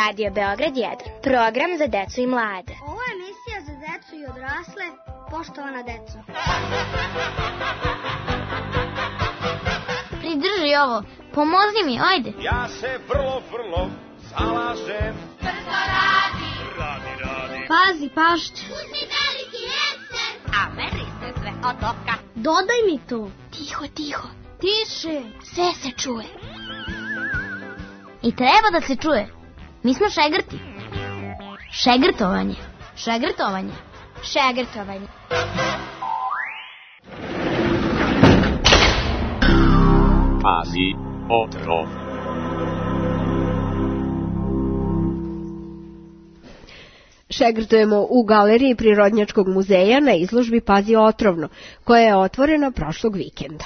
Radio Beograd 1, program za decu i mlade. Ovo je emisija za decu i odrasle, poštovana deco. Pridrži ovo, pomozi mi, ajde. Ja se vrlo zalažem. Brzo radi. Radi. Pazi pašće. Uzmi veliki ekser. A meri se sve od oka. Dodaj mi to. Tiho. Tiše. Sve se čuje. I treba da se čuje. Mi smo šegrti. Šegrtovanje. Pazi, otrov. Šegrtujemo u galeriji Prirodnjačkog muzeja na izložbi Pazi otrovno, koja je otvorena prošlog vikenda.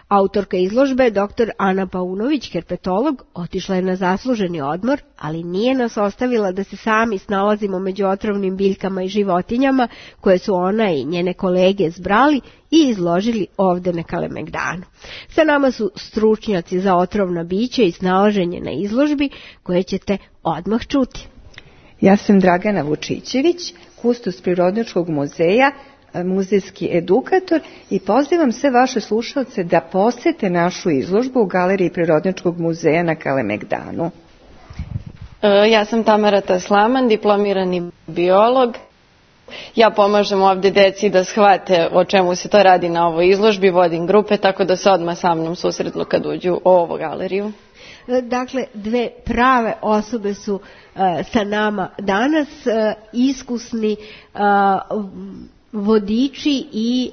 Autorka izložbe, dr. Ana Paunović, herpetolog, otišla je na zasluženi odmor, ali nije nas ostavila da se sami snalazimo među otrovnim biljkama i životinjama koje su ona i njene kolege zbrali i izložili ovde na Kalemegdanu. Sa nama su stručnjaci za otrovna bića i snalaženje na izložbi koje ćete odmah čuti. Ja sam Dragana Vučićević, kustos Prirodnjačkog muzeja, muzejski edukator i pozivam sve vaše slušalce da posete našu izložbu u galeriji Prirodnjačkog muzeja na Kalemegdanu. Ja sam Tamara Taslaman, diplomirani biolog. Ja pomažem ovde deci da shvate o čemu se to radi na ovoj izložbi, vodim grupe, tako da se odmah sa mnom susretnu kad uđu u ovu galeriju. Dakle, dve prave osobe su sa nama danas, iskusni vodiči i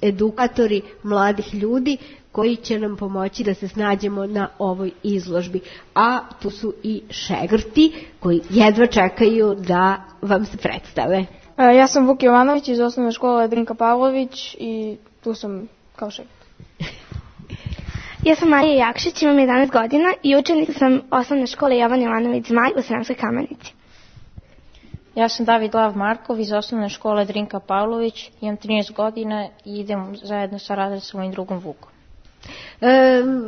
edukatori mladih ljudi koji će nam pomoći da se snađemo na ovoj izložbi. A tu su i šegrti koji jedva čekaju da vam se predstave. Ja sam Vuk Jovanović iz osnovne škole Drinka Pavlović i tu sam kao šegrt. Ja sam Marija Jakšić, imam 11 godina i učenica sam osnovne škole Jovan Jovanović Zmaj u Sremskoj Kamenici. Ja sam David Lav Markov iz osnovne škole Drinka Pavlović, imam 13 godina i idem zajedno sa razredom mojim drugom Vukom.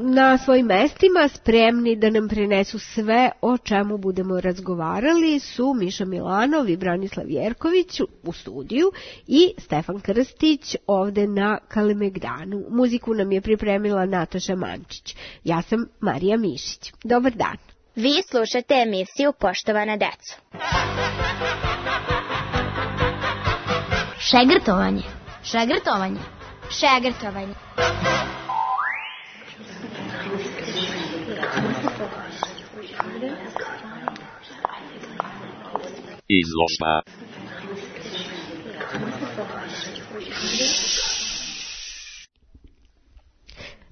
Na svojim mestima spremni da nam prenesu sve o čemu budemo razgovarali su Miša Milanov i Branislav Jerković u studiju i Stefan Krstić ovde na Kalemegdanu. Muziku nam je pripremila Nataša Mančić. Ja sam Marija Mišić. Dobar dan. Vi slušate emisiju Poštovana deco. Šegrtovanje. Izložba.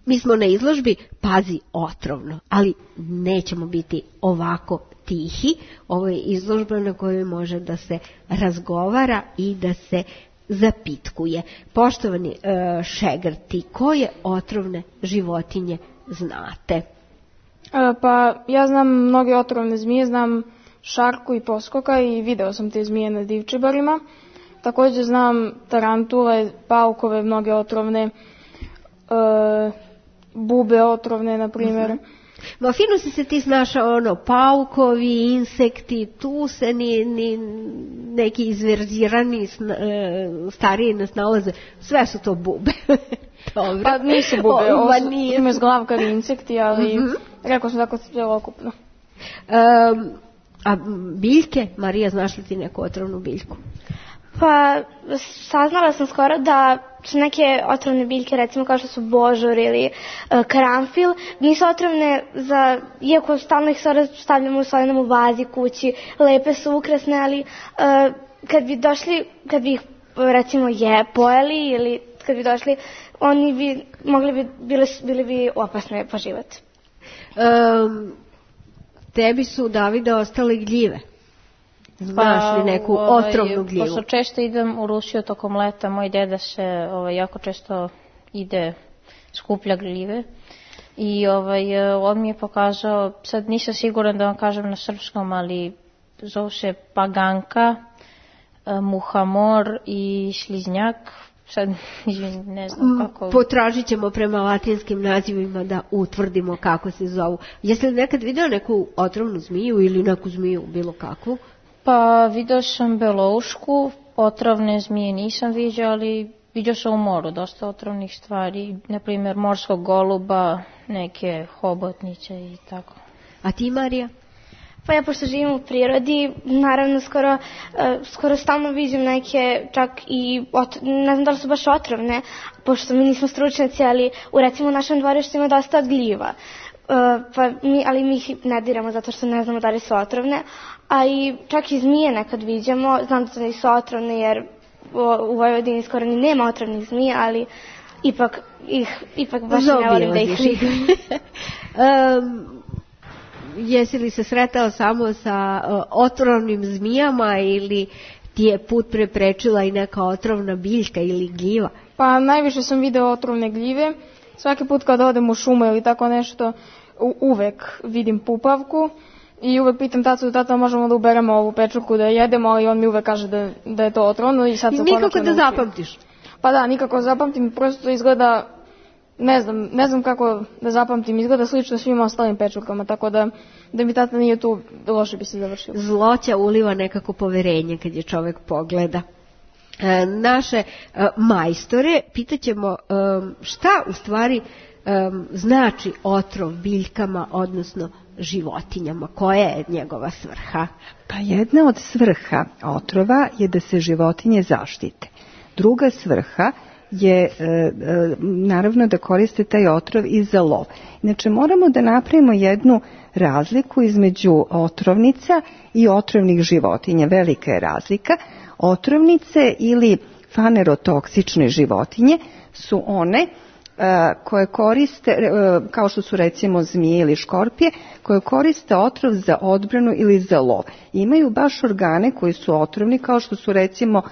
Mi smo na izložbi Pazi otrovno, ali nećemo biti ovako tihi. Ovo je izložba na kojoj može da se razgovara i da se zapitkuje. Poštovani šegrti, koje otrovne životinje znate? Pa ja znam mnoge otrovne zmije, znam šarku i poskoka i video sam te zmije na divčibarima. Također znam tarantule, paukove, mnoge otrovne, bube otrovne, na primjer. Ma fino si se ti snašao, paukovi, insekti, tu se ni neki izverzirani stariji ne snalaze, sve su to bube. Dobro. Pa nisu bube, ima zglavkari insekti, ali rekao sam tako celokupno. A biljke, Marija, znaš li ti neku otrovnu biljku? Pa saznala sam skoro da su neke otrovne biljke, recimo kao što su božur ili karanfil, nisu otrovne iako stalno ih stavljamo u solenom vazi kući, lepe su, ukrasne, ali kad bi ih recimo pojeli ili kad bi došli, oni bi bili bi opasne po život. Tebi su, Davide, ostale gljive. Znaš li neku otrovnu gljivu? Pošto često idem u Rusiju tokom leta, moj deda se jako često skuplja gljive i on mi je pokazao, sad nisam siguran da vam kažem na srpskom, ali zove se paganka, muhamor i šliznjak. sad ne znam kako... Potražit ćemo prema latinskim nazivima da utvrdimo kako se zovu. Jesi li nekad vidio neku otrovnu zmiju ili neku zmiju bilo kakvu? Pa vidio sam beloušku, otrovne zmije nisam vidio, ali vidio sam u moru dosta otrovnih stvari, na primjer morskog goluba, neke hobotnice i tako. A ti, Marija? Pa ja pošto živim u prirodi, naravno skoro stalno vidim neke, čak i, ne znam da li su baš otrovne, pošto mi nismo stručnjaci, ali recimo u našem dvorištu ima dosta gljiva. Ali mi ih ne diramo zato što ne znamo da li su otrovne, a i čak i zmije nekad viđamo, znam da nisu otrovne jer u Vojvodini skoro ni nema otrovnih zmija, ali ipak baš ne volim da ih vidim. Jesi li se sretao samo sa otrovnim zmijama ili ti je put preprečila i neka otrovna biljka ili gljiva? Pa najviše sam video otrovne gljive. Svaki put kad odem u šumu ili tako nešto, uvek vidim pupavku i uvek pitam tata možemo da uberemo ovu pečurku da jedemo, ali on mi uvek kaže da je to otrovno i sad sam konačno nikako da zapamtiš? Pa da, nikako zapamtim, prosto izgleda, ne znam kako da zapamtim, izgleda slično svim ostalim pečurkama, tako da mi tata nije tu, loše bi se završilo. Zloća uliva nekako poverenje kad je čovek pogleda. Naše majstore pitaćemo šta u stvari znači otrov biljkama, odnosno životinjama, koja je njegova svrha? Pa jedna od svrha otrova je da se životinje zaštite. Druga svrha je naravno da koriste taj otrov i za lov. Inače moramo da napravimo jednu razliku između otrovnica i otrovnih životinja. Velika je razlika. Otrovnice ili fanerotoksične životinje su one koje koriste, kao što su recimo zmije ili škorpije, koje koriste otrov za odbranu ili za lov. Imaju baš organe koji su otrovni, kao što su recimo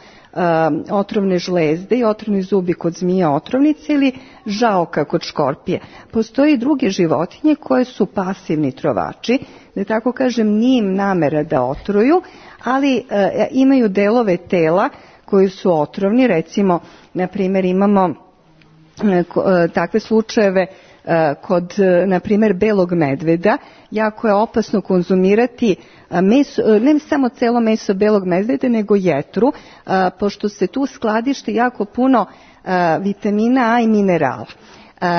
otrovne žlezde i otrovni zubi kod zmija otrovnice ili žaoka kod škorpije. Postoje i druge životinje koje su pasivni trovači, da tako kažem nije im namera da otruju, ali imaju delove tela koji su otrovni, recimo na primjer imamo takve slučajeve kod, na primjer, belog medveda. Jako je opasno konzumirati meso, ne samo celo meso belog medveda, nego jetru, pošto se tu skladišti jako puno vitamina A i minerala.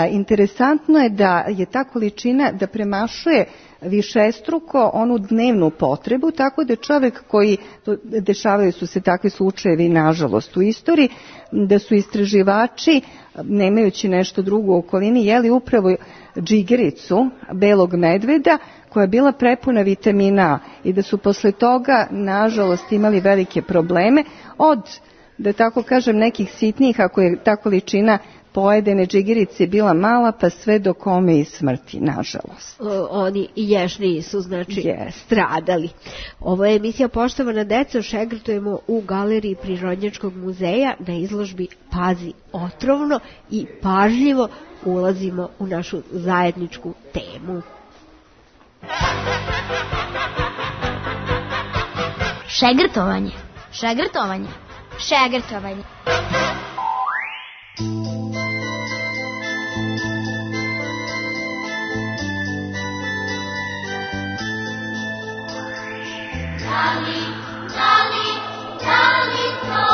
Interesantno je da je ta količina da premašuje višestruko onu dnevnu potrebu, tako da čovjek koji, dešavaju su se takvi slučajevi nažalost u istoriji, da su istraživači, nemajući nešto drugo u okolini, jeli upravo džigericu belog medveda koja je bila prepuna vitamina A i da su posle toga nažalost imali velike probleme od, da tako kažem, nekih sitnih, ako je ta količina pojedene džigerice bila mala, pa sve do kome i smrti, nažalost. Oni ježniji su, znači, stradali. Ovo je emisija Poštovana deco, šegrtujemo u Galeriji Prirodnjačkog muzeja na izložbi Pazi otrovno i pažljivo ulazimo u našu zajedničku temu. Šegrtovanje. Šegrtovanje. Šegrtovanje. Da li to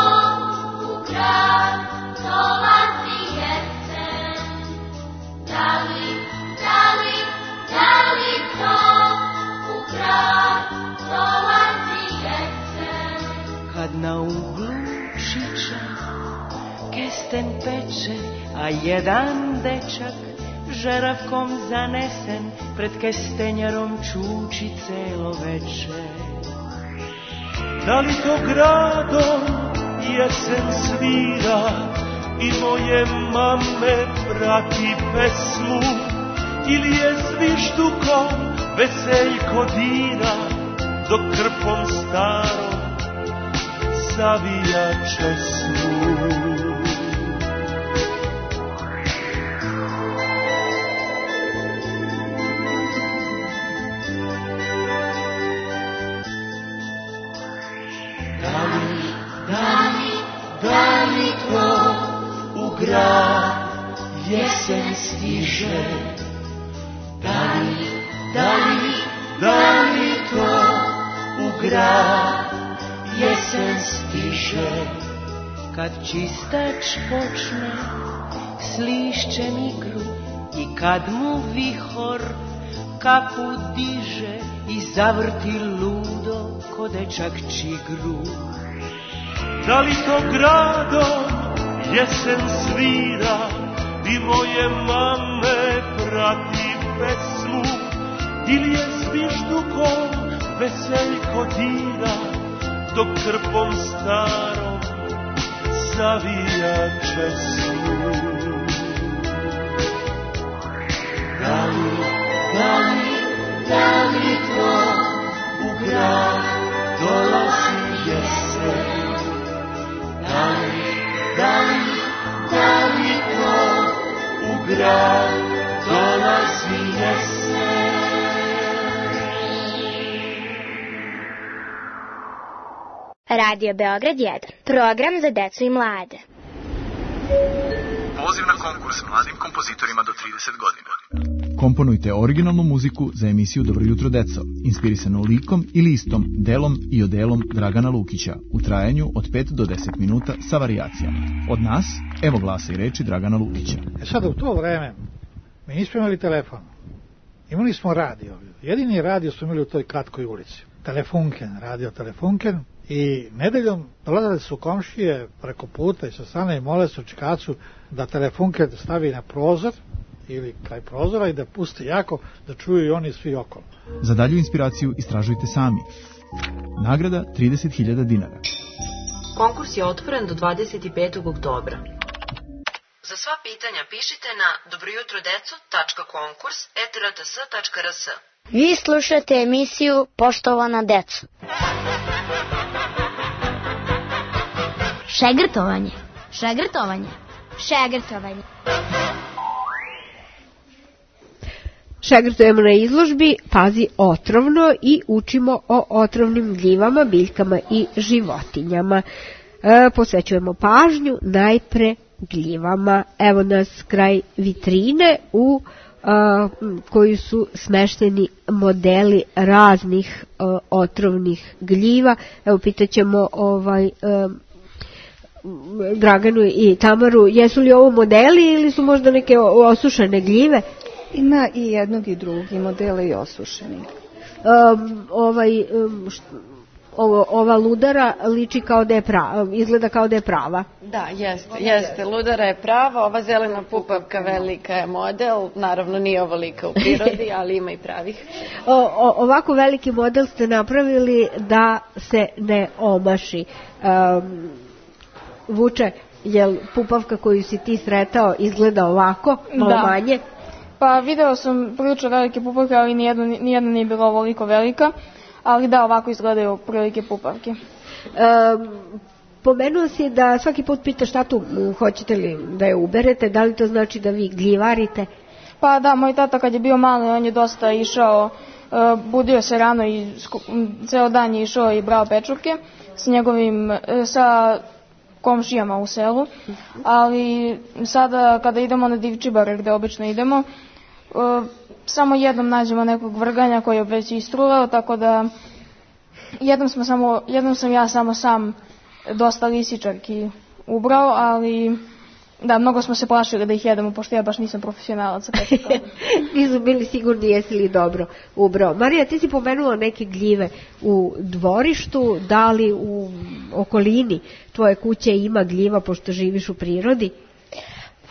u grad dolazi jesen? Da li to u grad dolazi jesen? Kad na uglu šiča kesten peče, a jedan dečak žeravkom zanesen pred kestenjarom čuči celo veče. Da li to gradom jesen svira i moje mame prati pesmu, ili je zviždukom veseljko dira dok krpom starom savija česmu. jesen stiže. Da li to u grad jesen stiže, kad čistač počne s lišćem igru i kad mu vihor kapu diže i zavrti ludo ko dečak čigru. Da li to gradom jesen svira i moje mame prati pesmu, ili je zviždukom veseljko dira dok krpom starom zavija česmu. Da li to u grad dolazi jesen? Da li to u grad dolazi jesen? Radio Beograd 1. Program za decu i mlade. Poziv na konkurs mladim kompozitorima do 30 godina. Komponujte originalnu muziku za emisiju Dobro jutro deco, inspirisanu likom ili istom, delom i odelom Dragana Lukića, u trajanju od 5 do 10 minuta sa varijacijama. Od nas, evo glasa i reči Dragana Lukića. Sada u to vreme mi nismo imali telefon. Imali smo radio. Jedini radio smo imali u toj kratkoj ulici. Telefunken, radio Telefunken. I nedeljom dolazili su komšije preko puta i sa strane i mole su čikacu da Telefunken stavi na prozor ili kraj prozora i da pusti jako, da čuju i oni svi okolo. Za dalju inspiraciju istražujte sami. Nagrada 30.000 dinara. Konkurs je otvoren do 25. oktobra. Za sva pitanja pišite na dobrojutrodeco.konkurs@rts.rs. Vi slušate emisiju Poštovana deco. Šegrtovanje. Šegrtujemo na izložbi Pazi otrovno i učimo o otrovnim gljivama, biljkama i životinjama. Posvećujemo pažnju najpre gljivama. Evo nas kraj vitrine u koji su smešteni modeli raznih otrovnih gljiva. Evo pitaćemo Draganu i Tamaru, jesu li ovo modeli ili su možda neke osušene gljive? Ima i jednog i drugi modele i osušeni. Ova ludara liči kao da je prava, izgleda kao da je prava. Da, jeste. Ludara je prava, ova zelena pupavka velika je model, naravno nije ovolika u prirodi, ali ima i pravih. Ovako veliki model ste napravili da se ne omaši. Vuče, jel pupavka koju si ti sretao izgleda ovako, malo manje? Pa video sam prilično velike pupavke, ali nijedna nije bila ovoliko velika. Ali da, ovako izgledaju prilike pupavke. Pomenuo si da svaki put pitaš tatu hoćete li da je uberete, da li to znači da vi gljivarite? Pa da, moj tata kad je bio mali, on je dosta išao, budio se rano i ceo dan je išao i brao pečurke sa komšijama u selu, ali sada kada idemo na divčibare gde obično idemo, samo jednom nađemo nekog vrganja koji je već istruvao, tako da jednom sam ja samo sam dosta lisičarki ubrao, ali da, mnogo smo se plašili da ih jedemo, pošto ja baš nisam profesionalac. Nisu bili sigurni jesi li dobro ubrao. Marija, ti si pomenula neke gljive u dvorištu, da li u okolini tvoje kuće ima gljiva pošto živiš u prirodi?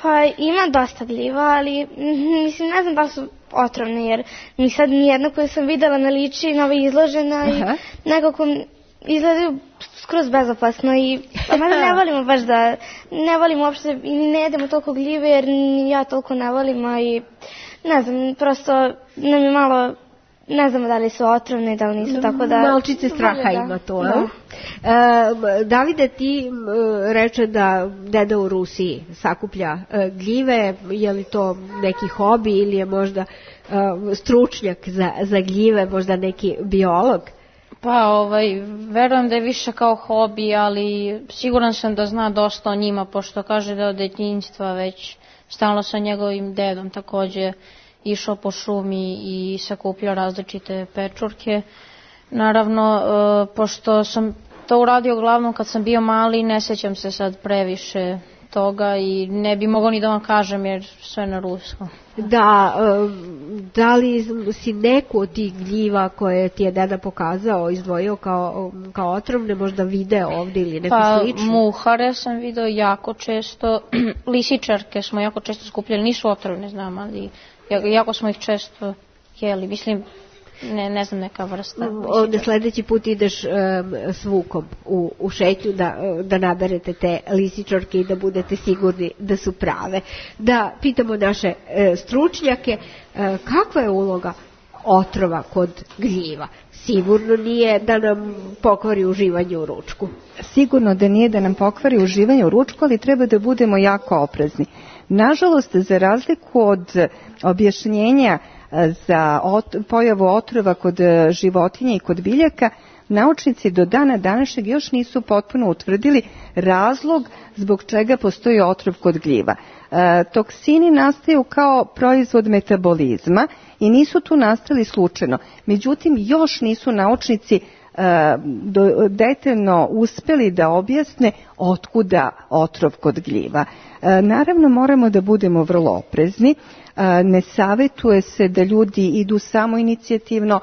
Pa ima dosta gljiva, ali mislim ne znam da su otrovne, jer mi sad nijedna koju sam videla ne liči na ove izložena i nekako izgledaju skroz bezopasno i ne volimo baš da, ne volimo uopšte i ne jedemo toliko gljive jer ja toliko ne volimo i ne znam, prosto nam je malo, ne znamo da li su otrovne, da li nisu, tako da... Malčice straha ima to, da. Davide, ti reče da deda u Rusiji sakuplja gljive, je li to neki hobi ili je možda stručnjak za gljive, možda neki biolog? Pa, verujem da je više kao hobi, ali siguran sam da zna dosta o njima, pošto kaže da od djetinjstva već stalno sa njegovim dedom takođe išao po šumi i sakupljao različite pečurke. Naravno, pošto sam to uradio uglavnom kad sam bio mali, ne sećam se sad previše toga i ne bi mogao ni da vam kažem jer sve na ruskom. Da li si neku od tih gljiva koje ti je deda pokazao, izdvojio kao otrovne, možda video ovdje ili neko slično? Muhare sam video jako često, lisičarke smo jako često skupljali, nisu otrovne znam, ali jako smo ih često jeli, mislim, ne znam neka vrsta. Ovdje sledeći put ideš s Vukom u šetnju da naberete te lisičarke i da budete sigurni da su prave. Da pitamo naše stručnjake kakva je uloga otrova kod gljiva. Sigurno nije da nam pokvari uživanje u ručku. Sigurno da nije da nam pokvari uživanje u ručku, ali treba da budemo jako oprezni. Nažalost, za razliku od objašnjenja za pojavu otrova kod životinja i kod biljaka, naučnici do dana današnjeg još nisu potpuno utvrdili razlog zbog čega postoji otrov kod gljiva. Toksini nastaju kao proizvod metabolizma i nisu tu nastali slučajno. Međutim, još nisu naučnici detaljno uspeli da objasne otkuda otrov kod gljiva. Naravno, moramo da budemo vrlo oprezni. Ne savetuje se da ljudi idu samoinicijativno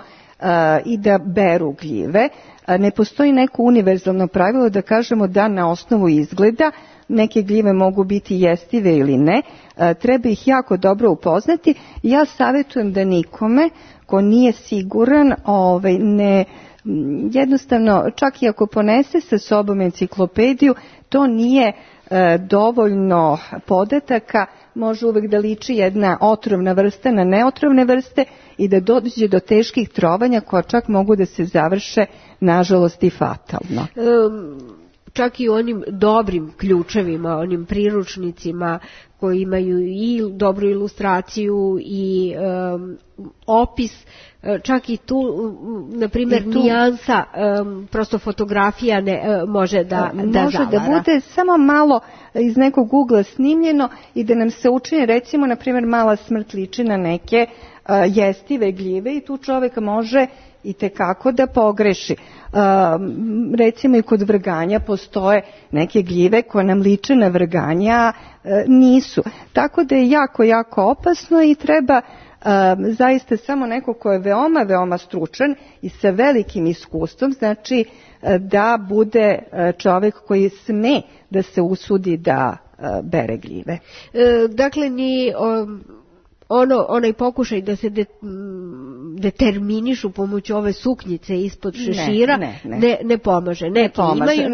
i da beru gljive. Ne postoji neko univerzalno pravilo da kažemo da na osnovu izgleda neke gljive mogu biti jestive ili ne. Treba ih jako dobro upoznati. Ja savetujem da nikome ko nije siguran ne jednostavno, čak i ako ponese sa sobom enciklopediju, to nije dovoljno podataka, može uvek da liči jedna otrovna vrsta na neotrovne vrste i da dođe do teških trovanja koja čak mogu da se završe nažalost i fatalno. Čak i onim dobrim ključevima, onim priručnicima koji imaju i dobru ilustraciju i opis, čak i tu, na primjer, nijansa, prosto fotografija može da zavara. Da bude samo malo iz nekog ugla snimljeno i da nam se učini, recimo, na primjer, mala smrt liči na neke jestive gljive i tu čovjek može i tekako da pogreši. Recimo i kod vrganja postoje neke gljive koje nam liče na vrganja, nisu. Tako da je jako, jako opasno i treba zaista samo neko ko je veoma, veoma stručan i sa velikim iskustvom, znači da bude čovjek koji sme da se usudi da bere gljive. Dakle, ni onaj pokušaj da se determinišu pomoću ove suknjice ispod šešira ne pomaže. Neki imaju,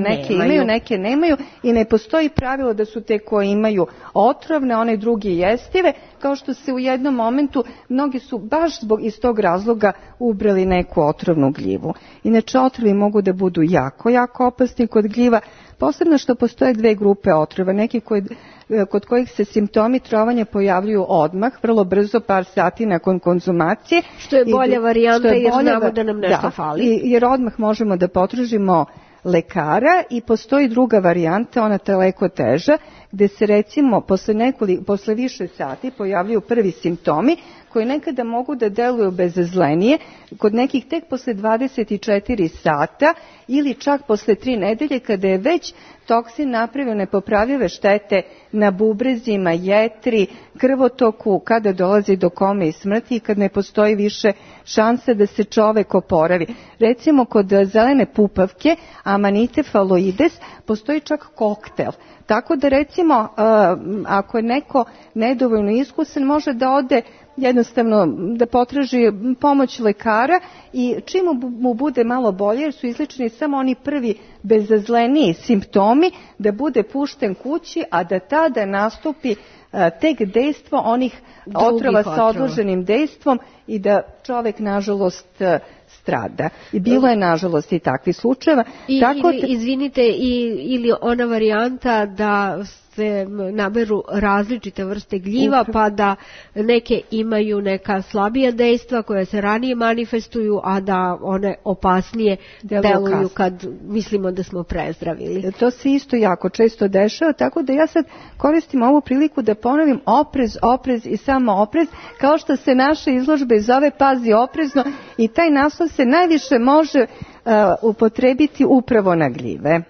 neke imaju, neke nemaju i ne postoji pravilo da su te koje imaju otrovne, one drugi jestive, kao što se u jednom momentu mnogi su baš iz tog razloga ubrali neku otrovnu gljivu. Inače, otrovi mogu da budu jako, jako opasni kod gljiva, posebno što postoje dve grupe otrova, neki kod kojih se simptomi trovanja pojavljuju odmah, vrlo brzo, par sati nakon konzumacije. Što je bolja varijanta jer znamo da nam nešto fali. Jer odmah možemo da potražimo lekara i postoji druga varijanta, ona daleko teža, gde se recimo posle više sati pojavljuju prvi simptomi koji nekada mogu da deluju bezazlenije, kod nekih tek posle 24 sata ili čak posle 3 nedelje kada je već toksin napravio nepopravljive štete na bubrezima, jetri, krvotoku, kada dolazi do kome i smrti i kad ne postoji više šanse da se čovek oporavi. Recimo kod zelene pupavke, Amanite phalloides, postoji čak koktel. Tako da recimo ako je neko nedovoljno iskusan može da ode jednostavno da potraži pomoć lekara i čim mu bude malo bolje, jer su izlečeni samo oni prvi bezazleniji simptomi, da bude pušten kući, a da tada nastupi tek dejstvo onih otrova sa odloženim dejstvom i da čovek nažalost strada. I bilo je nažalost i takvih slučajeva. Izvinite, ili ona varijanta da se naberu različite vrste gljiva, pa da neke imaju neka slabija dejstva koja se ranije manifestuju, a da one opasnije deluju kad mislimo da smo prezdravili. To se isto jako često dešava, tako da ja sad koristim ovu priliku da ponovim oprez, oprez i samo oprez, kao što se naša izložba zove Pazi oprezno, i taj naslov se najviše može upotrebiti upravo na gljive.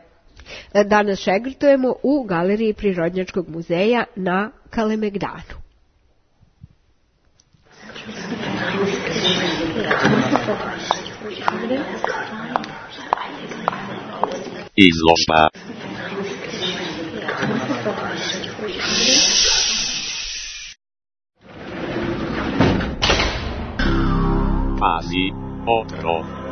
Danas šegrtujemo u Galeriji Prirodnjačkog muzeja na Kalemegdanu. Izložba. Pazi, otrov.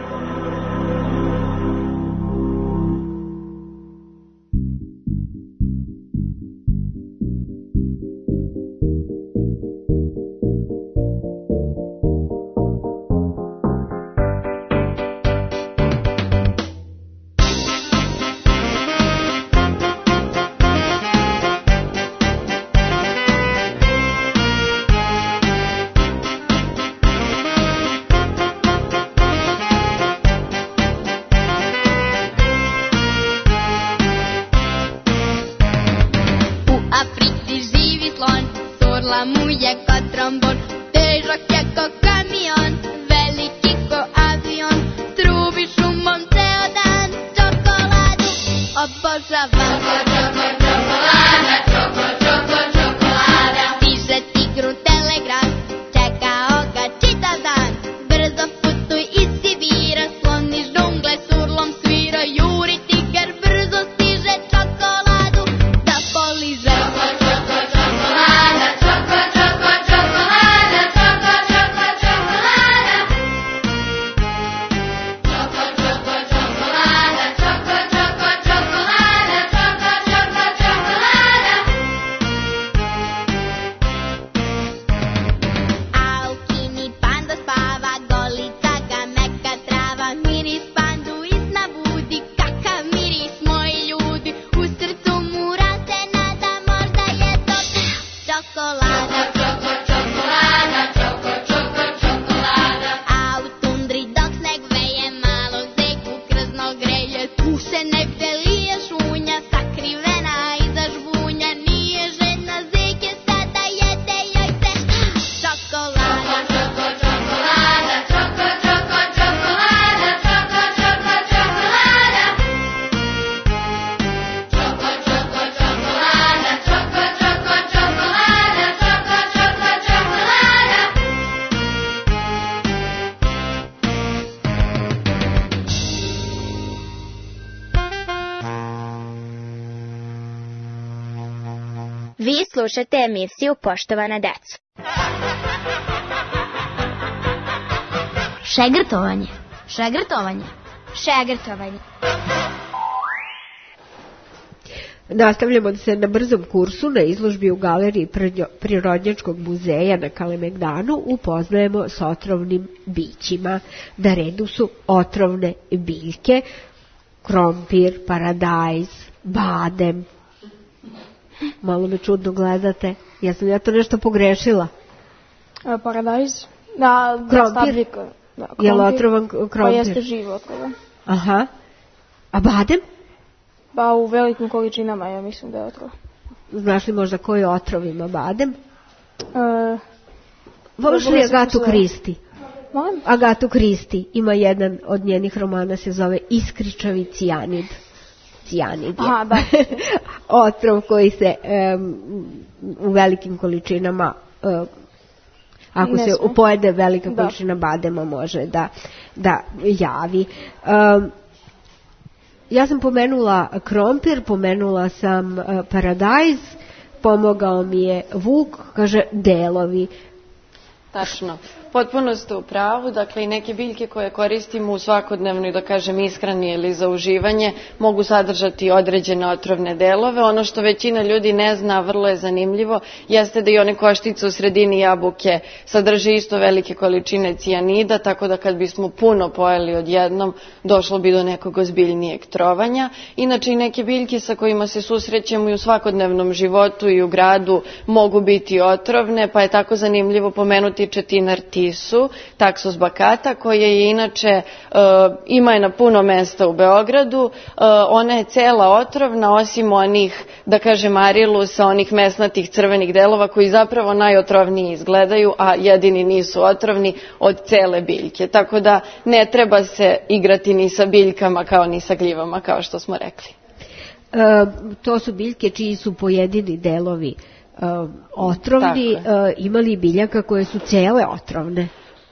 Vi slušate emisiju Poštovana deco. Šegrtovanje. Šegrtovanje. Šegrtovanje. Nastavljamo se na brzom kursu na izložbi u Galeriji Prirodnjačkog muzeja na Kalemegdanu. Upoznajemo s otrovnim bićima. Na redu su otrovne biljke, krompir, paradajz, badem. Malo me čudno gledate. Jesam ja to nešto pogrešila? Paradajz. Da, krompir. Je li otrovan krompir? Pa jeste živ otrovan. Aha. A badem? Pa u velikim količinama ja mislim da je otrov. Znaš li možda koji otrov ima badem? Voliš li Agatu Kristi? Molim? Agatu Kristi. Ima jedan od njenih romana, se zove Iskričavi cijanid. Cijanid je. Aha, da. Otrov koji se u velikim količinama, ako se pojede velika količina badema, može da javi. Ja sam pomenula krompir, pomenula sam paradajz, pomogao mi je Vuk, kaže delovi. Tačno. potpuno ste u pravu. Dakle, i neke biljke koje koristimo u svakodnevnoj, da kažem, ishrani ili za uživanje mogu sadržati određene otrovne delove. Ono što većina ljudi ne zna, vrlo je zanimljivo, jeste da i one koštice u sredini jabuke sadrže isto velike količine cijanida, tako da kad bismo puno pojeli odjednom, došlo bi do nekog ozbiljnijeg trovanja. Inače, i neke biljke sa kojima se susrećemo i u svakodnevnom životu i u gradu mogu biti otrovne, pa je tako zanimljivo pomenuti četinar tisu, Taxus baccata, koja je inače, ima je na puno mesta u Beogradu. Ona je cela otrovna, osim onih, da kažem, arilusa, onih mesnatih crvenih delova koji zapravo najotrovniji izgledaju, a jedini nisu otrovni od cele biljke. Tako da ne treba se igrati ni sa biljkama kao ni sa gljivama, kao što smo rekli. To su biljke čiji su pojedini delovi otrovni. Ima li biljaka koje su cele otrovne?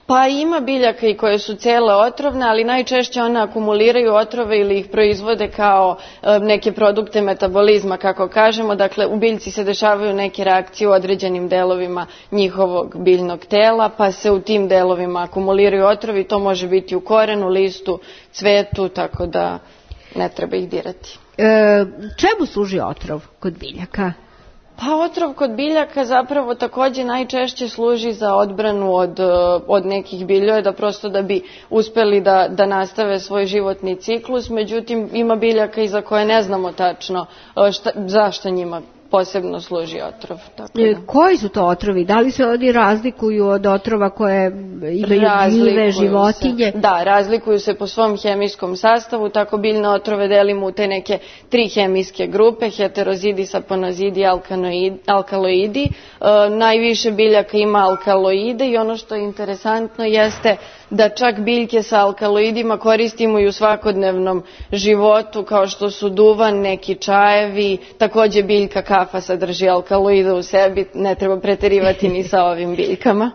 Pa ima biljaka i koje su cele otrovne, ali najčešće one akumuliraju otrove ili ih proizvode kao neke produkte metabolizma, kako kažemo. Dakle, u biljci se dešavaju neke reakcije u određenim delovima njihovog biljnog tela, pa se u tim delovima akumuliraju otrovi. To može biti u korenu, listu, cvetu, tako da ne treba ih dirati. Čemu služi otrov kod biljaka? Pa otrov kod biljaka zapravo takođe najčešće služi za odbranu od nekih biljojeda, prosto da bi uspeli da nastave svoj životni ciklus. Međutim, ima biljaka i za koje ne znamo tačno zašto njima posebno služi otrov. Koji su to otrovi? Da li se oni razlikuju od otrova koje imaju gljive, životinje? Da, razlikuju se po svom hemijskom sastavu. Tako biljne otrove delimo u te neke 3 hemijske grupe: heterozidi, saponozidi, alkaloidi. Najviše biljaka ima alkaloide i ono što je interesantno jeste da čak biljke sa alkaloidima koristimo i u svakodnevnom životu, kao što su duvan, neki čajevi, takođe biljka kafa sadrži alkaloide u sebi, ne treba preterivati ni sa ovim biljkama.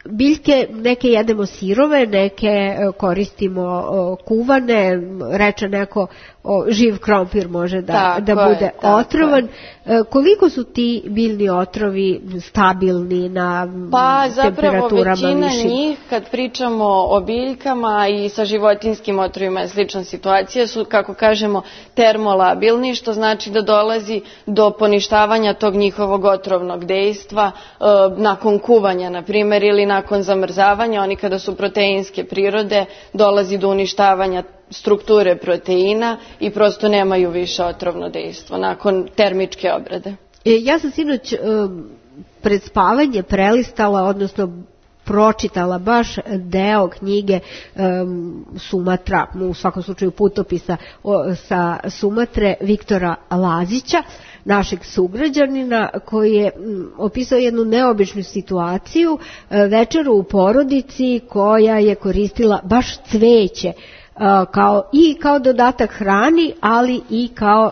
Biljke neke jedemo sirove, neke koristimo kuvane, reče neko živ krompir može da bude otrovan. Koliko su ti biljni otrovi stabilni na temperaturama višim? Većina njih, kad pričamo o biljkama i sa životinskim otrovima je slična situacija, su, kako kažemo, termolabilni, što znači da dolazi do poništavanja tog njihovog otrovnog dejstva nakon kuvanja, na primjer, ili nakon zamrzavanja. Oni kada su proteinske prirode, dolazi do uništavanja strukture proteina i prosto nemaju više otrovno dejstvo nakon termičke obrade. Ja sam sinoć pred spavanje prelistala, odnosno pročitala baš deo knjige Sumatra, u svakom slučaju putopisa sa Sumatre Viktora Lazića, našeg sugrađanina, koji je opisao jednu neobičnu situaciju, večeru u porodici koja je koristila baš cveće kao dodatak hrani, ali i kao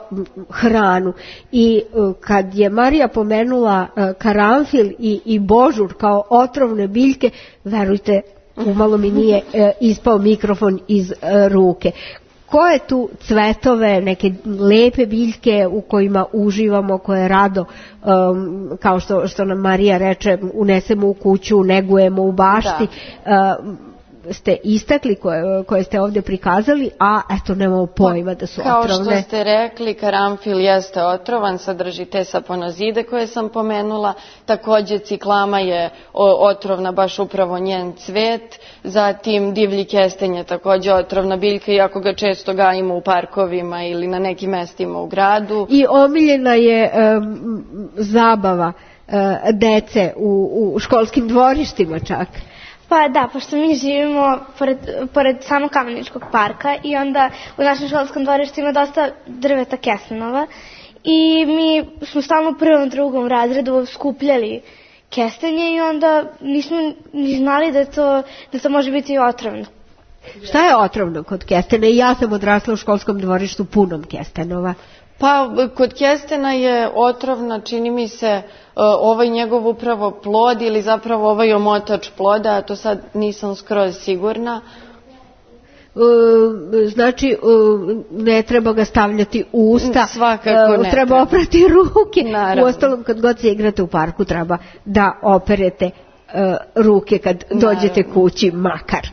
hranu. I kad je Marija pomenula karanfil i božur kao otrovne biljke, verujte, umalo mi nije ispao mikrofon iz ruke. Koje tu cvetove, neke lepe biljke u kojima uživamo, koje rado, kao što nam Marija reče, unesemo u kuću, negujemo u bašti, ste istakli, koje ste ovdje prikazali, a eto nemamo pojma da su otrovne. Kao što ste rekli, karanfil jeste otrovan, sadrži te saponozide koje sam pomenula, takođe ciklama je otrovna, baš upravo njen cvet, zatim divlji kestenj je takođe otrovna biljka, iako ga često gajimo u parkovima ili na nekim mestima u gradu. I omiljena je zabava dece u školskim dvorištima čak. Pa da, pošto mi živimo pored samog Kameničkog parka i onda u našem školskom dvorištu ima dosta drveta kestenova i mi smo stalno u 1. 2. razredu skupljali kestenje i onda nismo ni znali da to može biti otrovno. Šta je otrovno kod kestena? Ja sam odrasla u školskom dvorištu punom kestenova. Pa kod kestena je otrovna, čini mi se, ovaj njegov upravo plod ili zapravo ovaj omotač ploda, a to sad nisam skroz sigurna. znači ne treba ga stavljati u usta, svakako ne treba oprati ruke. Naravno. Uostalom, kad god se igrate u parku treba da operete ruke kad dođete kući makar.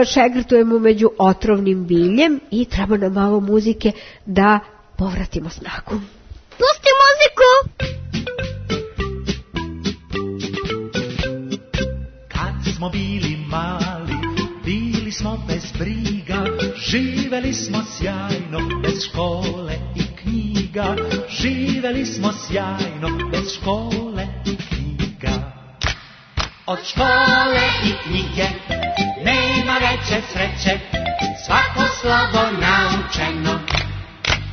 Šegrtujemo među otrovnim biljem i treba nam malo muzike da povratimo snagu. Pusti muziku! Kad smo bili mali, bili smo bez briga, živeli smo sjajno, bez škole i knjiga. Živeli smo sjajno, bez škole i knjiga. Od škole i knjige nema veće sreće, svako slovo naučeno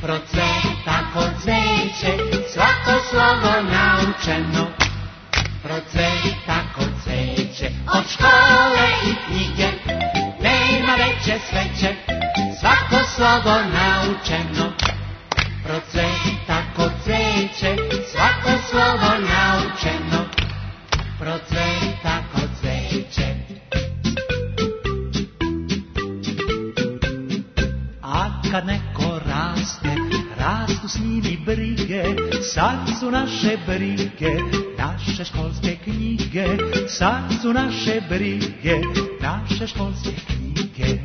procveta kod cveće, svako slovo naučeno procveta kod cveće. Od škole i knjige nema veće sreće, svako slovo naučeno procveta kod cveće, svako slovo naučeno procveta kod cveće. A kad neko raste, rastu s njim i brige, sad su naše brige, naše školske knjige, sad su naše brige, naše školske knjige.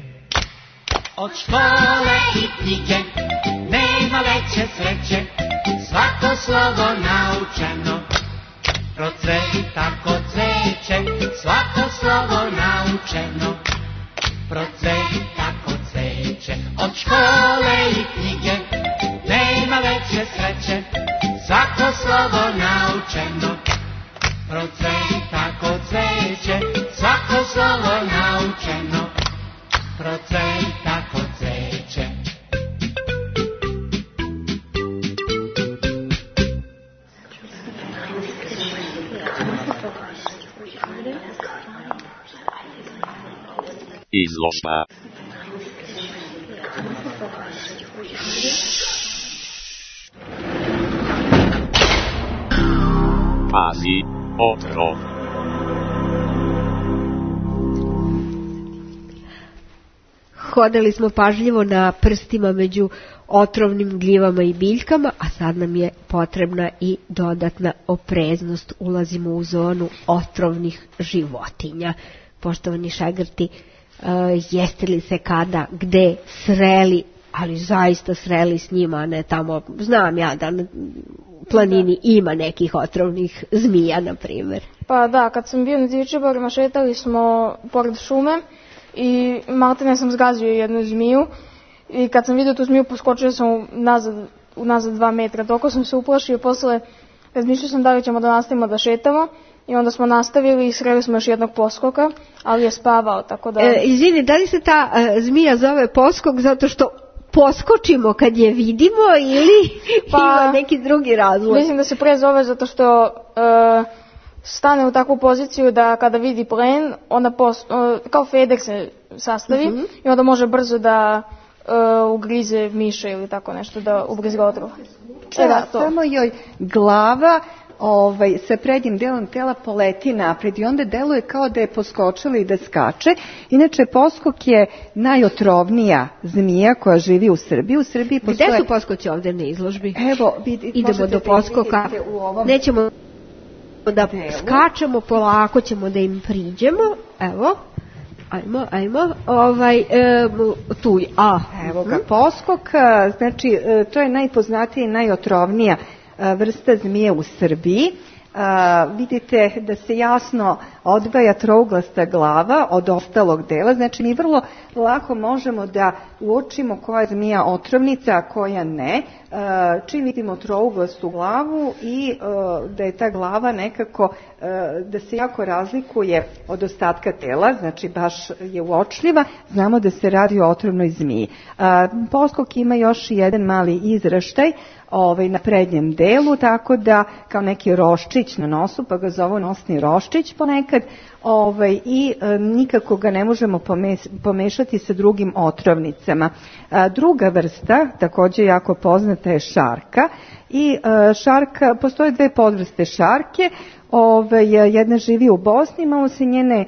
Od škole i knjige nema veće sreće, svako slovo naučeno procveta kod cveće, svako slovo naučeno procveta kod cveće. Od škole i knjige nema veće sreće, svako slovo naučeno procveta kod cveće, svako slovo naučeno procveta kod cveće. Izložba. Pazi, otrov. Hodali smo pažljivo na prstima među otrovnim gljivama i biljkama, a sad nam je potrebna i dodatna opreznost. Ulazimo u zonu otrovnih životinja. Poštovani šegrti, jeste li se kada, gde sreli, ali zaista sreli s njima, a ne tamo, znam ja da na planini ima nekih otrovnih zmija, na primjer. Pa da, kad sam bio na Divčibarima, šetali smo pored šume i maltene sam zgazio jednu zmiju i kad sam vidio tu zmiju poskočio sam unazad 2 metra, toliko sam se uplašio, posle razmišljao sam da li ćemo da nastavimo da šetamo i onda smo nastavili i sreli smo još jednog poskoka, ali je spavao, tako da... Izvini, da li se ta zmija zove poskok zato što poskočimo kad je vidimo ili ima neki drugi razlog? Mislim da se pre zove zato što stane u takvu poziciju da kada vidi plen, onda kao feder se sastavi i onda može brzo da ugrize miša ili tako nešto, da ugrize otrov. Samo joj glava sa prednjim delom tela poleti napred i onda deluje kao da je poskočila i da skače. Inače, poskok je najotrovnija zmija koja živi u Srbiji. U Srbiji postoje... Gde su poskoci ovdje na izložbi? Evo, idemo do poskoka. Nećemo da skačemo, polako ćemo da im priđemo. Evo. Ajmo. Tu je. Evo ga, poskok. Znači, to je najpoznatija i najotrovnija vrsta zmije u Srbiji. Vidite da se jasno odvaja trouglasta glava od ostalog dela, znači mi vrlo lako možemo da uočimo koja je zmija otrovnica, a koja ne, čim vidimo trouglastu glavu i da je ta glava nekako, da se jako razlikuje od ostatka tela, znači baš je uočljiva, znamo da se radi o otrovnoj zmiji. Poskok ima još jedan mali izraštaj na prednjem delu, tako da kao neki roščić na nosu, pa ga zovu nosni roščić ponekad, i nikako ga ne možemo pomešati sa drugim otrovnicama. Druga vrsta, također jako poznata, je šarka. I šarka, postoje 2 podvrste šarke, jedna živi u Bosni, malo se njene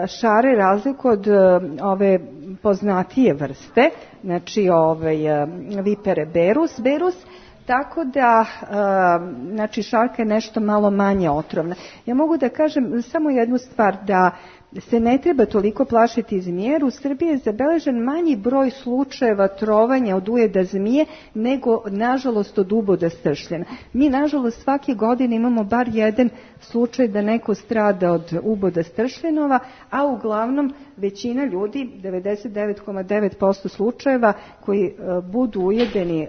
šare razliku od ove poznatije vrste, znači vipere berus, tako da znači šarka je nešto malo manje otrovna. Ja mogu da kažem samo jednu stvar, da se ne treba toliko plašiti zmije, jer u Srbiji je zabeležen manji broj slučajeva trovanja od ujeda zmije nego, nažalost, od uboda stršljena. Mi, nažalost, svake godine imamo bar jedan slučaj da neko strada od uboda stršljenova, a uglavnom većina ljudi, 99,9% slučajeva koji budu ujedeni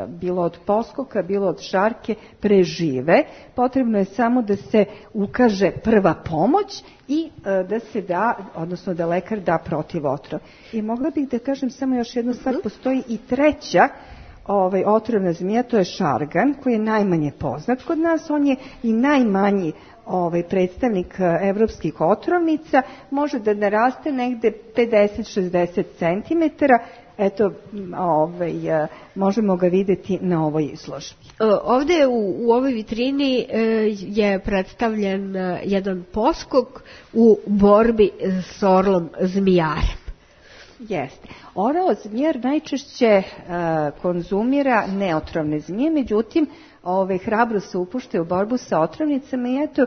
bilo od poskoka, bilo od šarke, prežive. Potrebno je samo da se ukaže prva pomoć i da se da, odnosno da lekar da protivotrov. I mogla bih da kažem samo još jednu stvar, postoji i treća otrovna zmija, to je šargan, koji je najmanje poznat kod nas, on je i najmanji predstavnik evropskih otrovnica, može da naraste negde 50-60 cm, eto, možemo ga videti na ovoj izložbi. Ovde u ovoj vitrini je predstavljen jedan poskok u borbi s orlom zmijarem. Jeste. Orao zmijar najčešće konzumira neotrovne zmije, međutim, hrabro se upušte u borbu sa otrovnicama i eto,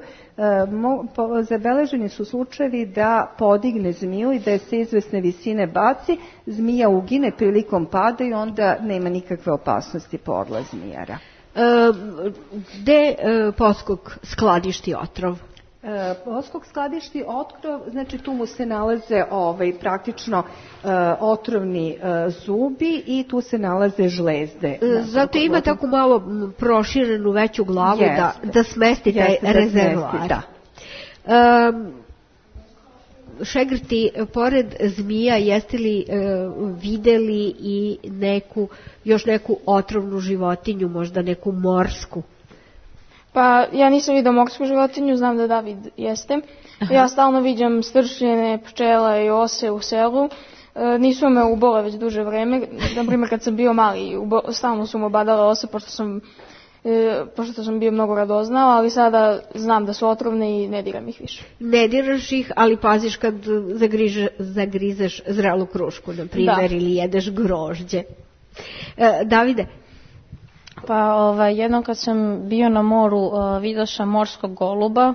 zabeleženi su slučajevi da podigne zmiju i da se izvesne visine baci, zmija ugine prilikom pada i onda nema nikakve opasnosti po orla zmijara. Gde poskok skladišti otrov? Poskok skladišti otrov, znači tu mu se nalaze praktično otrovni zubi i tu se nalaze žlezde. Zato ima tako malo proširenu veću glavu da smesti taj rezervoar. Šegrti, pored zmija, jeste li videli i još neku otrovnu životinju, možda neku morsku? Pa ja nisam vidio morsku životinju, znam da David jeste. Aha. Ja stalno viđam stršljene, pčela i ose u selu. Nisu me ubole već duže vreme. Naprimjer, kad sam bio mali, stalno su me obadale ose, pošto sam bio mnogo radoznao, ali sada znam da su otrovne i ne diram ih više. Ne diraš ih, ali paziš kad zagrizeš zrelu krušku, na primjer, ili jedeš grožđe. Davide? Pa jednom kad sam bio na moru vidio sam morskog goluba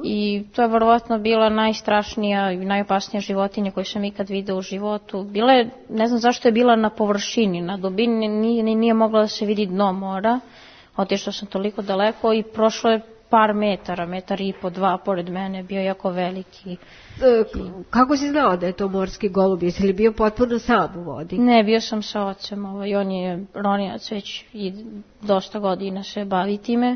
i to je verovatno bila najstrašnija i najopasnija životinja koju sam ikad vidio u životu. Bila je, ne znam zašto je bila na površini, na dubini nije mogla da se vidi dno mora, otišao sam toliko daleko i prošlo je par metara, 1,5 2 metra pored mene, bio jako veliki. Kako si znao da je to morski golub? Jesi li bio potpuno sam u vodi? Ne, bio sam sa ocem, on je ronilac već i dosta godina se bavi time.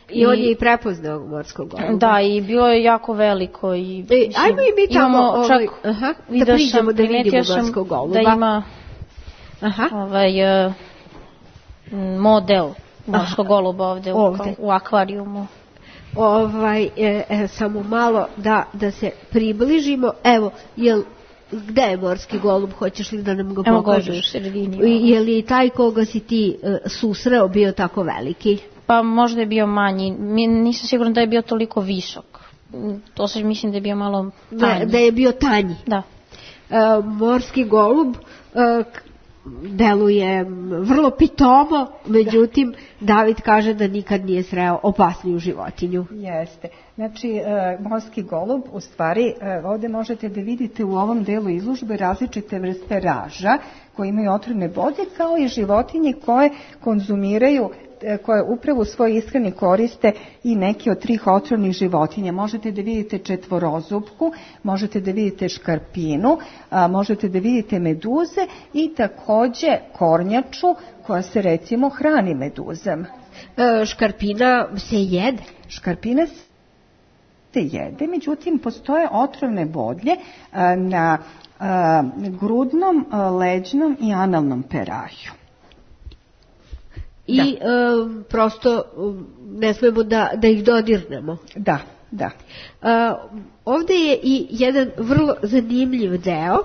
I on je i prepoznao morskog goluba. Da, i bilo je jako veliko. Ajmo i mi tamo da priđemo da vidimo morskog goluba. Da ima model morskog goluba ovde. U akvarijumu. Samo malo da se približimo. Evo, gde je morski golub? Hoćeš li da nam ga pokažeš? Evo, u sredini. Je li taj koga si ti susreo bio tako veliki? Pa možda je bio manji. Nisam sigurna da je bio toliko visok. To se mislim da je bio malo tanji. Da je bio tanji? Da. Morski golub deluje vrlo pitomo, međutim David kaže da nikad nije sreo opasniju životinju. Jeste. Znači, morski golub, u stvari, ovdje možete da vidite u ovom delu izložbe različite vrste raža koje imaju otrovne bodlje, kao i životinje koje konzumiraju, koje upravo u svojoj ishrani koriste i neke od 3 otrovnih životinja. Možete da vidite četvorozupku, možete da vidite škarpinu, možete da vidite meduze i takođe kornjaču koja se recimo hrani meduzama. Škarpina se jede? Škarpina se jede, međutim postoje otrovne bodlje na grudnom, leđnom i analnom peraju. I prosto ne smemo da ih dodirnemo. Da. Ovdje je i jedan vrlo zanimljiv deo.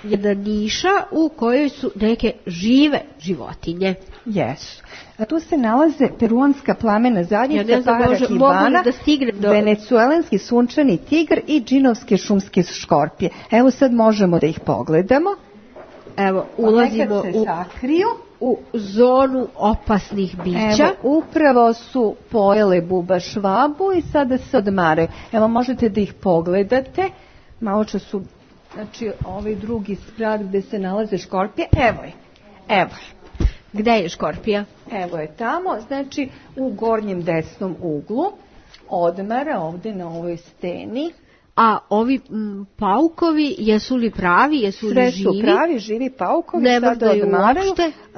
jedna niša u kojoj su neke žive životinje. Jesu. A tu se nalaze peruanska plamena zadnjica, parakibana, venecuelanski sunčani tigar i džinovske šumske škorpije. Evo sad možemo da ih pogledamo. Evo, ulazimo u zonu opasnih bića. Evo, upravo su pojele buba švabu i sada se odmaraju. Evo, možete da ih pogledate. Malo čas su, znači, ovaj drugi sprat gde se nalaze škorpije. Evo je. Evo je. Gde je škorpija? Evo je tamo, znači u gornjem desnom uglu, odmara ovde na ovoj steni. A ovi paukovi, jesu li pravi, jesu li živi? Sve su pravi, živi paukovi, sada odmaraju,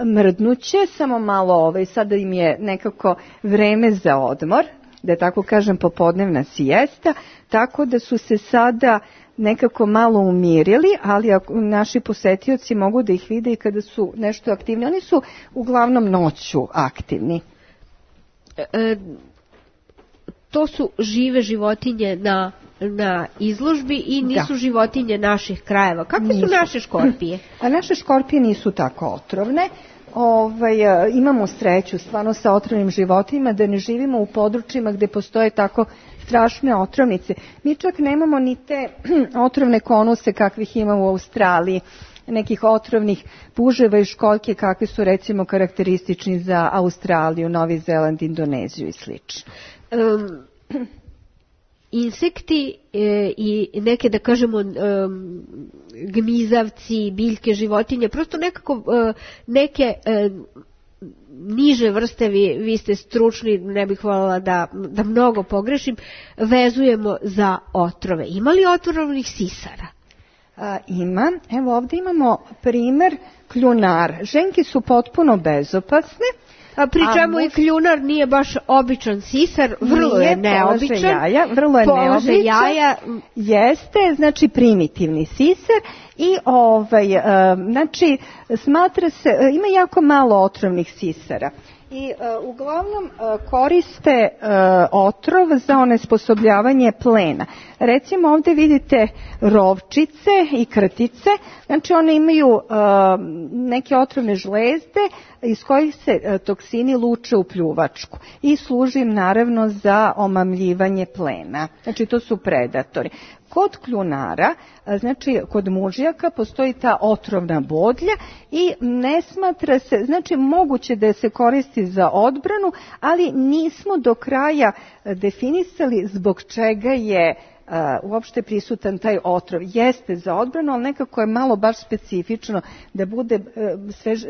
mrdnuće, samo malo sada im je nekako vreme za odmor, da tako kažem popodnevna siesta, tako da su se sada nekako malo umirili, ali naši posetioci mogu da ih vide i kada su nešto aktivni. Oni su uglavnom noću aktivni. To su žive životinje na izložbi i nisu životinje naših krajeva. Kakve su naše škorpije? A naše škorpije nisu tako otrovne. Imamo sreću stvarno sa otrovnim životinjima da ne živimo u područjima gde postoje tako strašne otrovnice. Mi čak nemamo ni te otrovne konuse kakvih ima u Australiji, nekih otrovnih puževa i školjke kakvi su recimo karakteristični za Australiju, Novi Zeland, Indoneziju i slično. Insekti i neke, da kažemo, gmizavci, biljke, životinje, prosto nekako neke niže vrste, vi ste stručni, ne bih voljela da mnogo pogrešim, vezujemo za otrove. Ima li otrovnih sisara? Ima. Evo ovdje imamo primer kljunara. Ženke su potpuno bezopasne. A pri čemu i kljunar nije baš običan sisar, vrlo je neobičan. Vrlo je neobičan. Jeste, znači primitivni sisar i znači smatra se, ima jako malo otrovnih sisara. I uglavnom koriste otrov za onesposobljavanje plena. Recimo ovdje vidite rovčice i krtice, znači one imaju neke otrovne žlezde iz kojih se toksini luče u pljuvačku i služi im naravno za omamljivanje plena. Znači to su predatori. Kod kljunara, znači kod mužjaka postoji ta otrovna bodlja i ne smatra se, znači moguće da se koristi za odbranu, ali nismo do kraja definisali zbog čega je uopšte prisutan taj otrov. Jeste za odbranu, ali nekako je malo baš specifično da bude,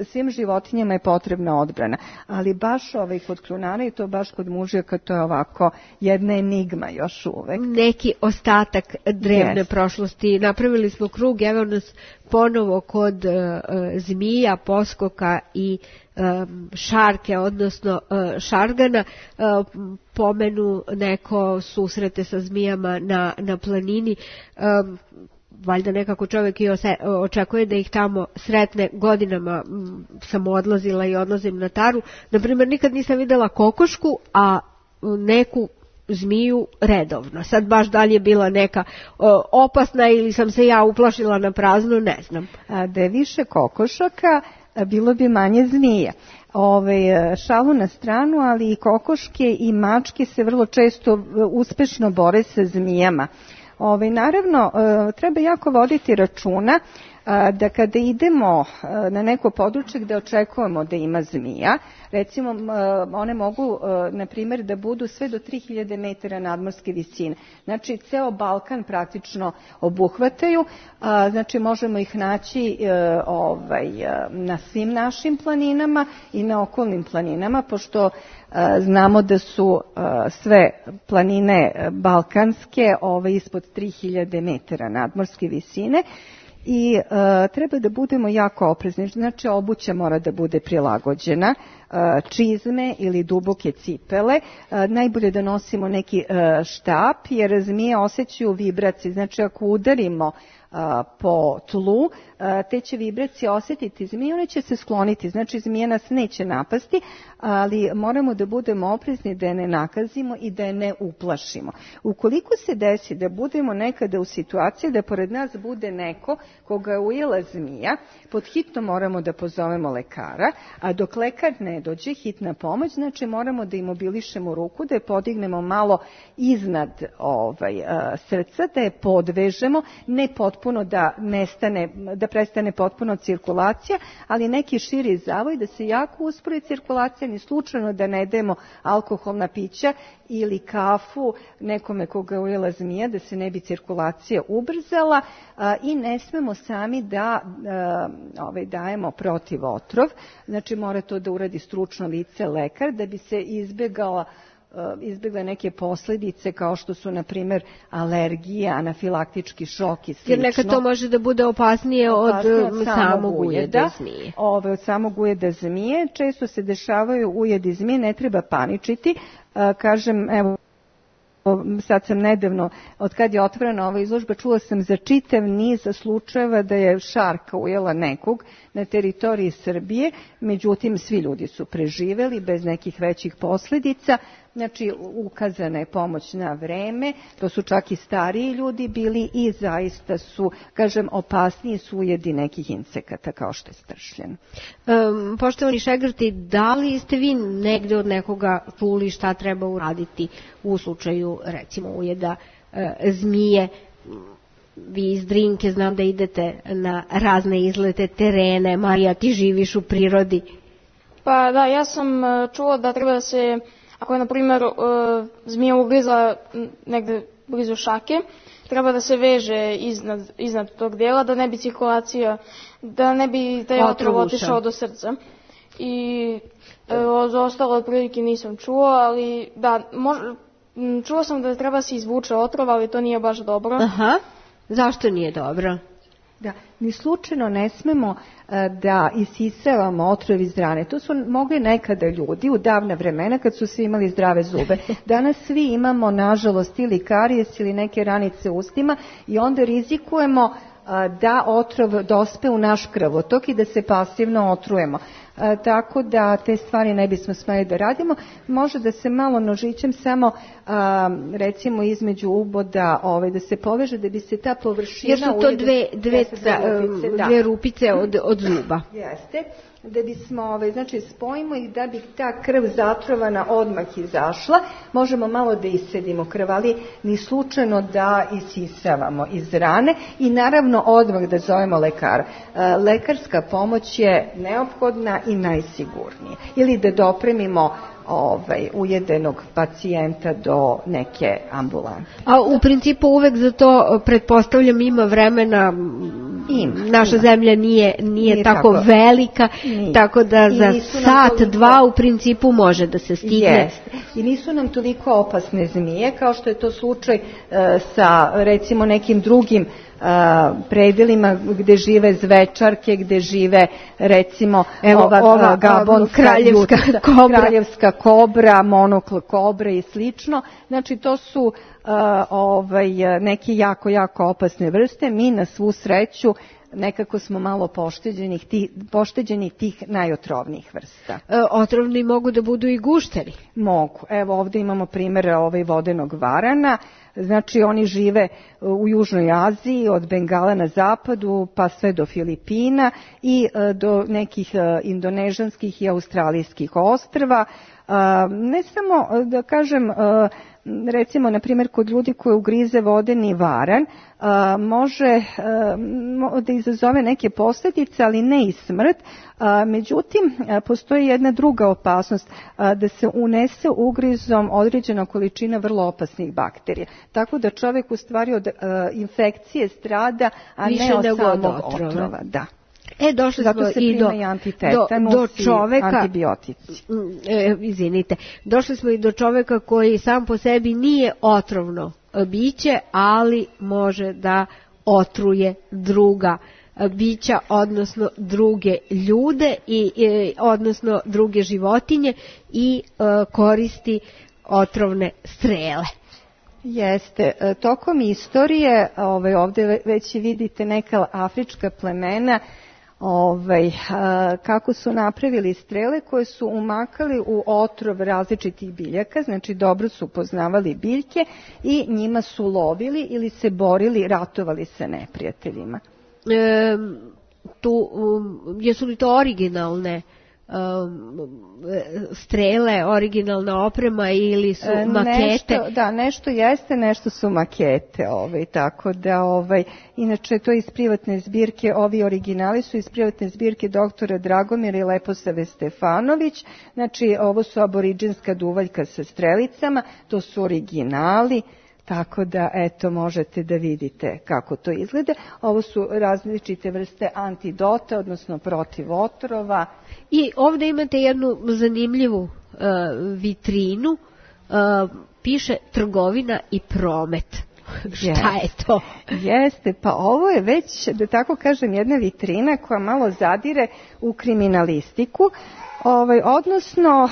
svim životinjama je potrebna odbrana. Ali baš kod kljunara i to baš kod mužjaka, to je ovako jedna enigma još uvek. Neki ostatak drevne prošlosti. Napravili smo krug, evo nas ponovo kod zmija, poskoka i šarke, odnosno šargana. Pomenu neko susrete sa zmijama na planini. Valjda nekako čovjek i očekuje da ih tamo sretne. Godinama sam odlazila i odlazim na Taru. Naprimjer, nikad nisam videla kokošku, a neku zmiju redovno. Sad baš da li je bila neka opasna ili sam se ja uplašila na prazno, ne znam. Da je više kokošaka, bilo bi manje zmija. Šalu na stranu, ali i kokoške i mačke se vrlo često uspešno bore sa zmijama. Naravno, treba jako voditi računa da kada idemo na neko područje gde očekujemo da ima zmija, recimo one mogu, na primjer, da budu sve do 3000 metara nadmorske visine. Znači, ceo Balkan praktično obuhvataju, znači možemo ih naći na svim našim planinama i na okolnim planinama, pošto znamo da su sve planine balkanske ispod 3000 metara nadmorske visine. I treba da budemo jako oprezni, znači obuća mora da bude prilagođena čizme ili duboke cipele. Najbolje da nosimo neki štap, jer zmije osjećaju vibracije. Znači ako udarimo po tlu, te će vibracije osjetiti zmije, one će se skloniti, znači zmije nas neće napasti, ali moramo da budemo oprezni da je ne nakazimo i da je ne uplašimo. Ukoliko se desi da budemo nekada u situaciji da pored nas bude neko koga je ujela zmija, pod hitno moramo da pozovemo lekara, a dok lekar ne dođe, hitna pomoć, znači moramo da imobilišemo ruku, da je podignemo malo iznad srca, da je podvežemo, ne potpuno da nestane, da prestane potpuno cirkulacija, ali neki širi zavoj, da se jako uspori cirkulacija, ni slučajno da ne dajemo alkoholna pića ili kafu nekome koga je ujela zmija, da se ne bi cirkulacija ubrzala, i ne smemo sami da dajemo protiv otrov, znači mora to da uradi stručno lice, lekar, da bi se izbjegle neke posljedice kao što su, na primjer, alergija, anafilaktički šok i slično. Jer nekad to može da bude opasnije od samog ujeda zmije. Od samog ujeda zmije. Često se dešavaju ujedi zmije, ne treba paničiti. Kažem, evo, sad sam nedavno, od kad je otvorena ova izložba, čula sam za čitav niz slučajeva da je šarka ujela nekog na teritoriji Srbije, međutim svi ljudi su preživeli bez nekih većih posljedica, znači ukazana je pomoć na vreme, to su čak i stariji ljudi bili i zaista su, kažem, opasniji su ujedi nekih insekata kao što je stršljen. Poštovani šegrti, da li ste vi negde od nekoga čuli šta treba uraditi u slučaju, recimo, ujeda zmije? Vi iz Drinke znam da idete na razne izlete, terene. Marija, ti živiš u prirodi. Pa da, ja sam čula da treba da se, ako je na primjer zmija ugrizla negde blizu šake, treba da se veže iznad tog dijela, da ne bi cirkulacija, da ne bi taj otrov otišao do srca. I za ostalo otprilike nisam čuo, ali da, čuo sam da treba se izvuče otrov, ali to nije baš dobro. Aha. Zašto nije dobro? Da, ni slučajno ne smemo da isisavamo otrov iz rane. To su mogli nekada ljudi u davna vremena kad su svi imali zdrave zube. Danas svi imamo, nažalost, ili karijes ili neke ranice u ustima i onda rizikujemo da otrov dospe u naš krvotok i da se pasivno otrujemo. Tako da te stvari ne bismo smeli da radimo. Može da se malo nožićem samo recimo između uboda da se poveže da bi se ta površina... Jer su to dve rupice od zuba. Jeste. Da bismo, znači spojimo ih da bi ta krv zatrovana odmah izašla. Možemo malo da isedimo krv, ali ni slučajno da isisavamo iz rane i naravno odmah da zovemo lekara. Lekarska pomoć je neophodna i najsigurnije. Ili da dopremimo ujedenog pacijenta do neke ambulante. A u principu uvek za to, pretpostavljam, ima vremena, naša zemlja nije tako velika, tako da za sat, dva u principu može da se stigne. I nisu nam toliko opasne zmije kao što je to slučaj sa recimo nekim drugim predelima gde žive zvečarke, gde žive recimo gabon, kraljevska kobra, monokl kobra i slično. Znači to su neke jako opasne vrste. Mi na svu sreću nekako smo malo pošteđeni tih najotrovnijih vrsta. Otrovni mogu da budu i gušteri? Mogu. Evo ovdje imamo primjer vodenog varana. Znači oni žive u Južnoj Aziji, od Bengala na zapadu pa sve do Filipina i do nekih indonežanskih i australijskih ostrva. Ne samo da kažem, recimo na primjer kod ljudi koji ugrize vodeni varan može da izazove neke posljedice, ali ne i smrt. Međutim, postoji jedna druga opasnost, da se unese ugrizom određena količina vrlo opasnih bakterija. Tako da čovjek u stvari od infekcije strada, a ne od samog otrova. Da. Došli zato smo se i do čoveka, antibiotici. Izvinite, došli smo i do čoveka koji sam po sebi nije otrovno biće, ali može da otruje druga bića, odnosno druge ljude i odnosno druge životinje i koristi otrovne strele. Jeste, tokom istorije, ovde već vidite neka afrička plemena, kako su napravili strele koje su umakali u otrov različitih biljaka, znači dobro su poznavali biljke i njima su lovili ili se borili, ratovali sa neprijateljima. Jesu li to originalne strele, originalna oprema ili su makete? Nešto jeste, nešto su makete, tako da inače to iz privatne zbirke, ovi originali su iz privatne zbirke doktora Dragomira i Leposave Stefanović, znači ovo su aboriđinska duvaljka sa strelicama, to su originali. Tako da, eto, možete da vidite kako to izgleda. Ovo su različite vrste antidota, odnosno protiv otrova. I ovdje imate jednu zanimljivu vitrinu, piše trgovina i promet. Šta je to? Jeste, pa ovo je već, da tako kažem, jedna vitrina koja malo zadire u kriminalistiku, odnosno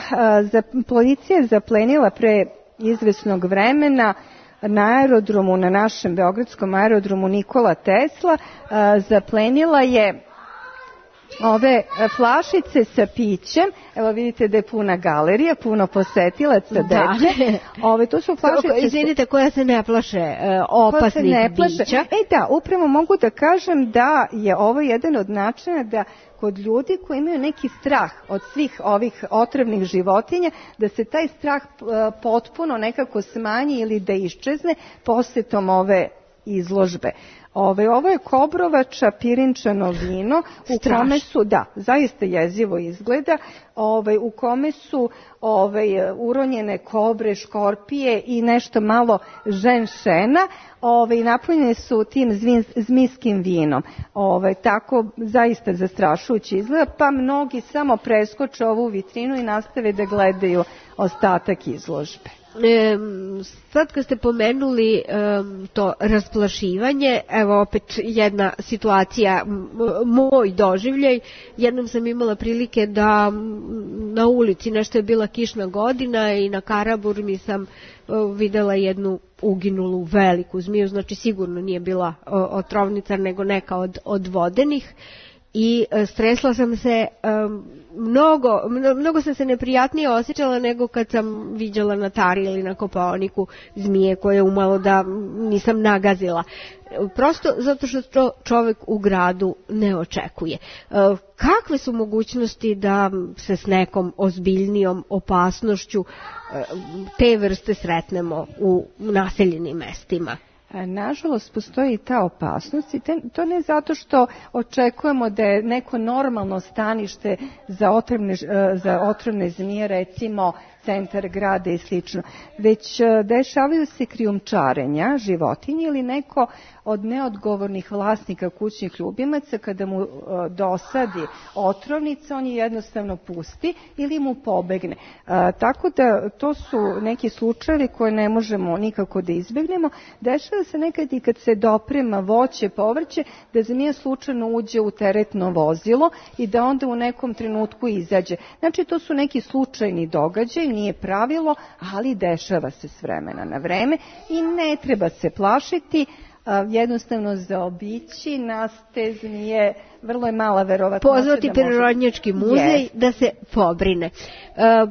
policija je zaplenila pre izvesnog vremena na aerodromu, na našem beogradskom aerodromu Nikola Tesla, zaplenila je ove flašice sa pićem. Evo vidite da je puna galerija, puno posetilaca dece. To su flašice... Izvinite, koja se ne plaše opasnih bića. Upravo mogu da kažem da je ovo jedan od načina da kod ljudi koji imaju neki strah od svih ovih otrovnih životinja, da se taj strah potpuno nekako smanji ili da iščezne posetom ove izložbe. Ovo je Kobrovača pirinčano vino u kome su, zaista jezivo izgleda, u kome su uronjene kobre, škorpije i nešto malo ženšena, napunjene su tim zmijskim vinom. Tako zaista zastrašujući izgleda, pa mnogi samo preskoče ovu vitrinu i nastave da gledaju ostatak izložbe. Sad kad ste pomenuli to rasplašivanje, evo opet jedna situacija, moj doživljaj. Jednom sam imala prilike da na ulici, nešto je bila kišna godina i na Karaburmi sam videla jednu uginulu veliku zmiju, znači sigurno nije bila otrovnica nego neka od vodenih. I stresla sam se, mnogo sam se neprijatnije osjećala nego kad sam viđala na Tari ili na Kopaoniku zmije koje umalo da nisam nagazila. Prosto zato što to čovjek u gradu ne očekuje. Kakve su mogućnosti da se s nekom ozbiljnijom opasnošću te vrste sretnemo u naseljenim mestima? Nažalost, postoji ta opasnost i to ne zato što očekujemo da je neko normalno stanište za otrovne zmije, recimo centar grada i slično, već dešavaju se krijumčarenja životinje ili neko od neodgovornih vlasnika kućnih ljubimaca kada mu dosadi otrovnica, on je jednostavno pusti ili mu pobegne. Tako da to su neki slučajevi koje ne možemo nikako da izbegnemo. Dešava se nekad i kad se doprema voće, povrće, da zmija slučajno uđe u teretno vozilo i da onda u nekom trenutku izađe. Znači to su neki slučajni događaj, nije pravilo, ali dešava se s vremena na vreme i ne treba se plašiti, jednostavno zaobići nas te zmije, vrlo je mala verovatnoća. Pozvati Prirodnjački muzej da se pobrine.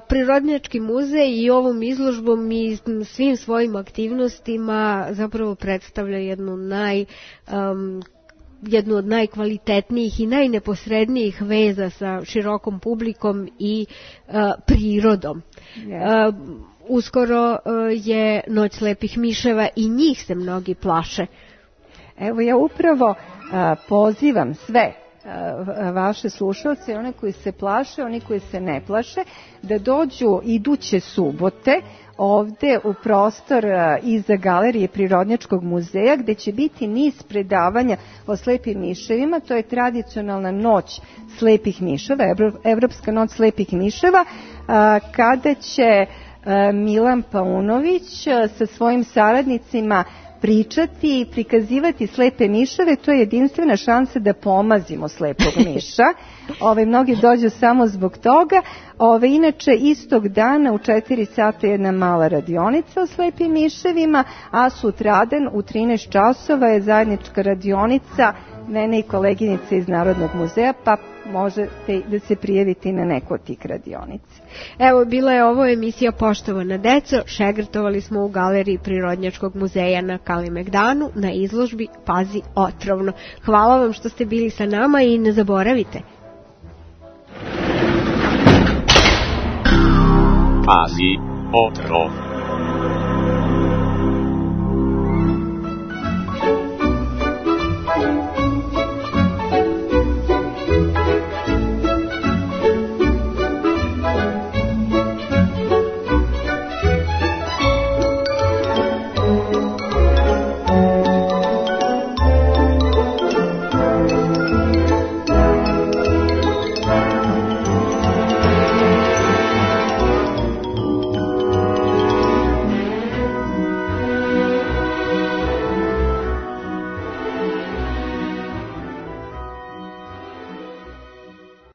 Prirodnjački muzej i ovom izložbom i svim svojim aktivnostima zapravo predstavlja jednu od najkvalitetnijih i najneposrednijih veza sa širokom publikom i prirodom. Uskoro je Noć slepih miševa i njih se mnogi plaše. Evo ja upravo pozivam sve vaše slušalce, one koji se plaše, oni koji se ne plaše, da dođu iduće subote ovde u prostor iza galerije Prirodnjačkog muzeja, gde će biti niz predavanja o slepim miševima. To je tradicionalna noć slepih miševa, Evropska noć slepih miševa, kada će Milan Paunović sa svojim saradnicima pričati i prikazivati slepe miševe, to je jedinstvena šansa da pomazimo slepog miša. Mnogi dođu samo zbog toga. Inače, istog dana u 4 sata jedna mala radionica o slepim miševima, a sutradan u 13 časova je zajednička radionica mene i koleginice iz Narodnog muzeja, pa možete da se prijavite na neku od tih radionica. Evo, bila je ovo emisija Poštovana deco, šegrtovali smo u Galeriji Prirodnjačkog muzeja na Kalemegdanu na izložbi Pazi otrovno. Hvala vam što ste bili sa nama i ne zaboravite. Pazi otrovno.